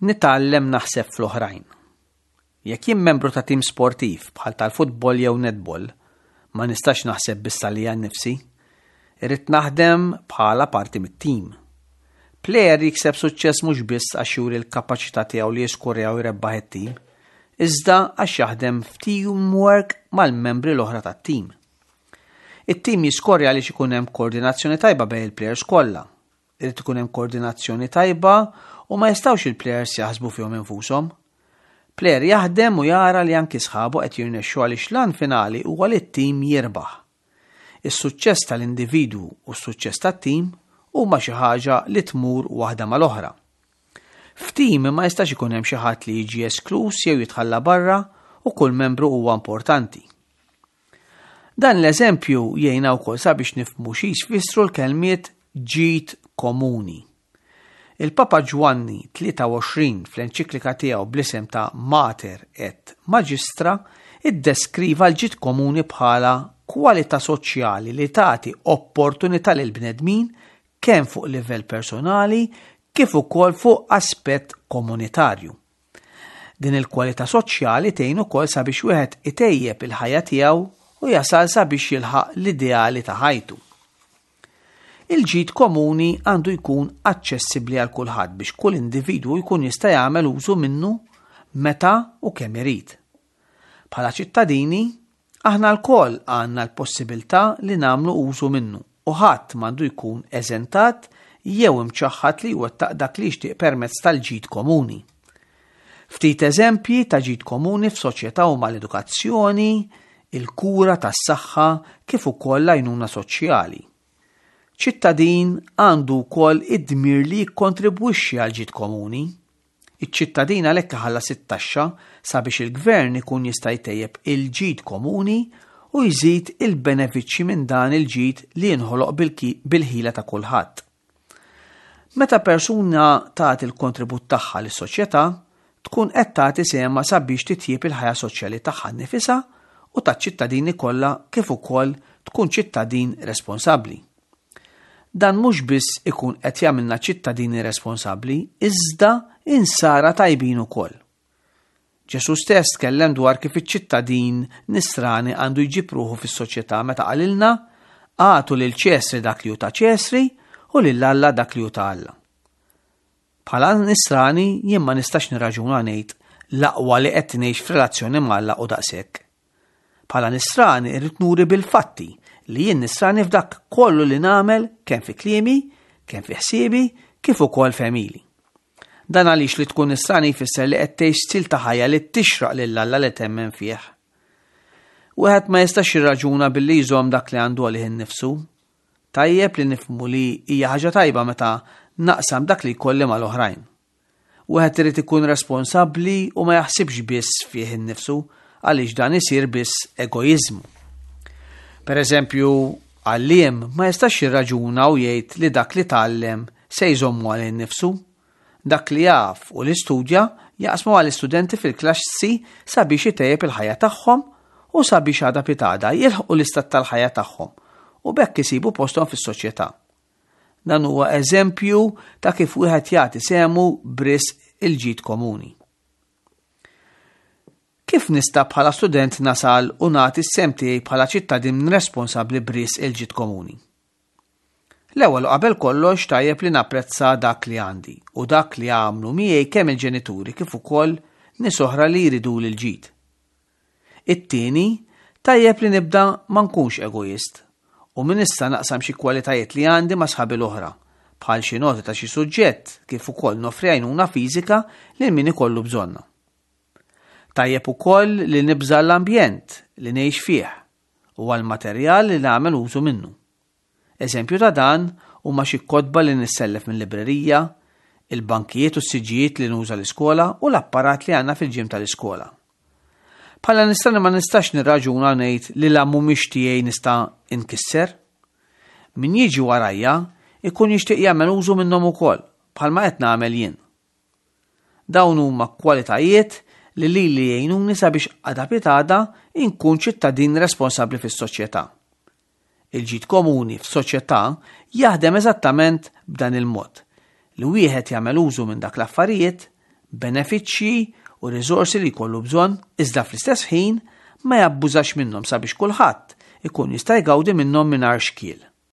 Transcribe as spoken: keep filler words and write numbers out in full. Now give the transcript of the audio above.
Nitgħallem naħseb fl-oħrajn. Jekk jien membru ta' tim sportiv bħal tal-futbol jew netball, ma nistax naħseb biss għalija nnifsi. Irrid naħdem bħala parti mit-tim. Plejer jikseb suċċess mhux biss għax juri l-kapaċità tiegħu li jiskorja u jrebbaħ it-tim, iżda għax jaħdem f'teamwork mal-membri l-oħra tat-tim. It-tim jiskorja għaliex ikun hemm koordinazzjoni tajba bejn il-plejers kollha. Irid ikun hemm koordinazzjoni tajba u ma jistgħux il-plejers jaħsbu fihom infushom. Plejer jaħdem u jara li anki sħabu qed jirnexxu għaliex l-għan finali huwa li t-tim jirbaħ. Is-suċċess tal-individwu u s-suċċess tat-tim huma xi ħaġa li tmur waħda mal-oħra. F'tim ma jistax ikun hemm xi ħadd li jiġi eskluż jew jitħalla barra u kull membru huwa importanti. Dan l-eżempju jgħinna wkoll sabiex nifhmu xi jfissru l-kelmiet ġid komuni. Il-Papa Ġwanni tlieta u għoxrin fl-enċiklika tiegħu bl-isem ta' Mater et Magistra iddeskriva l-ġid komuni bħala kwalità soċjali li tagħti opportunità lil bnedmin kemm fuq livell personali kif ukoll fuq aspett komunitarju. Din il-kwalità soċjali tgħin ukoll sabiex wieħed itejjeb il-ħajja tiegħu u jasal sabiex jilħaq l-ideali ta' ħajtu. Il-ġid komuni għandu jkun aċċessibbli għal kulħadd biex kull individwu jkun jista' jagħmel użu minnu meta u kemm irid. Bħala ċittadini, aħna lkoll għandna l-possibilità li nagħmlu użu minnu u ħadd m'għandu jkun eżentat jew imċaħħad li jwettaq dak li jixtieq permezz tal-ġid komuni. Ftit eżempji ta' ġid komuni f'soċjetà huma l-edukazzjoni, il-kura tas-saħħa kif ukoll l-għajnuna soċjali. Ċittadin għandu wkoll id-dmir li jikkontribwixxi għal ġid komuni. Iċ-ċittadin għalhekk iħallas it-taxxa sabiex il-gvern ikun jista' jtejjeb il-ġid komuni u jżid il-benefiċċji minn dan il-ġid li jinħoloq bil-ki-, bil-ħila ta' kulħadd. Meta persuna tagħti l-kontribut tagħha lis-soċjetà, tkun qed tagħti sehemha sabiex titjieb il-ħajja soċjali tagħha nnifisha u taċ-ċittadini kollha kif ukoll tkun ċittadin responsabbli. Dan mhux biss ikun qed jagħmilna ċittadini responsabbli, iżda insara tajbin ukoll. Ġesu stess tkellem dwar kif iċ-ċittadin nisrani għandu jġib ruħu fis-soċjetà meta qalilna agħtu lil Ċesri dak li hu ta' Ċesri u lil Alla dak li hu ta' Alla. Bħala nisrani jien ma nistax nirraġuna ngħid l-aqwa li qed ngħix f'relazzjoni ma' Alla u daqshekk. Bħala nisrani irrid nuri bil-fatti li jien nisrani f'dak kollu li nagħmel kemm fi kliemi, kemm fi ħsiebi, kif ukoll f'għemili. Dan għaliex li tkun nisrani jfisser li qed tgħix stil ta' ħajja li tixraq lil Alla li temmen fih. Wieħed ma jistax jirraġuna billi jżomm dak li għandu għalih innifsu. Tajjeb li nifhmu li hija ħaġa tajba meta naqsam dak li jkolli mal-oħrajn. Wieħed irid ikun responsabbli u ma jaħsibx biss fih innifsu għaliex dan isir biss egoiżmu. Per eżempju, għalliem ma jistax jirraġuna u jgħid li dak li tgħallem se jżommu għal innifsu. Dak li jaf u li studja jaqsmu għal istudenti fil-klassi sabiex itejjeb il-ħajja tagħhom u sabiex għada pitada jilħqu l-istat tal-ħajja tagħhom u b'hekk isibu posthom fis-soċjetà. Dan huwa eżempju ta' kif wieħed jagħti sehmu b'risq il-ġid komuni. Kif nista' bħala student nasal u nagħti s-sehem tiegħi bħala ċittadin responsabbli b'risq il-ġid komuni? L-ewwel u qabel kollox tajjeb li napprezza dak li għandi u dak li għamlu miegħi kemm il-ġenituri kif ukoll nies oħra li jridu l-ġid. It-tieni, tajjeb li nibda ma nkunx egoist u minn issa naqsam xi kwalitajiet li għandi ma' sħabi l-oħra, bħal xi noti ta' xi suġġett kif ukoll noffri għajnuna fiżika lil min ikollu bżonna. Tajjeb ukoll li nibża' l-ambjent li ngħix fih u għall-materjal li nagħmel użu minnu. Eżempju ta' dan huma xi kotba li nissellef minn librerija, il-bankijiet u s-siġġijiet li nuża l-iskola u l-apparat li għandna fil-ġim tal-iskola. Bħala nisrani ma nistax nirraġuna ngħid li la mhumiex tiegħi nista' inkisser. Min jiġi warajja ikun jixtieq jagħmel użu minnhom ukoll bħalma qed nagħmel jien. Dawn huma kwalitajiet li lili jgħinuni sabiex għada pitada inkun ċittadin responsabbli fis-soċjetà. Il-ġid komuni f'soċjetà jaħdem eżattament b'dan il-mod li wieħed jagħmel użu minn dak l-affarijiet benefiċċji u riżorsi li jkollu bżonn, iżda fl-istess ħin ma jabbużax minnhom sabiex kulħadd ikun jista' jgawdi minnhom mingħajr xkiel.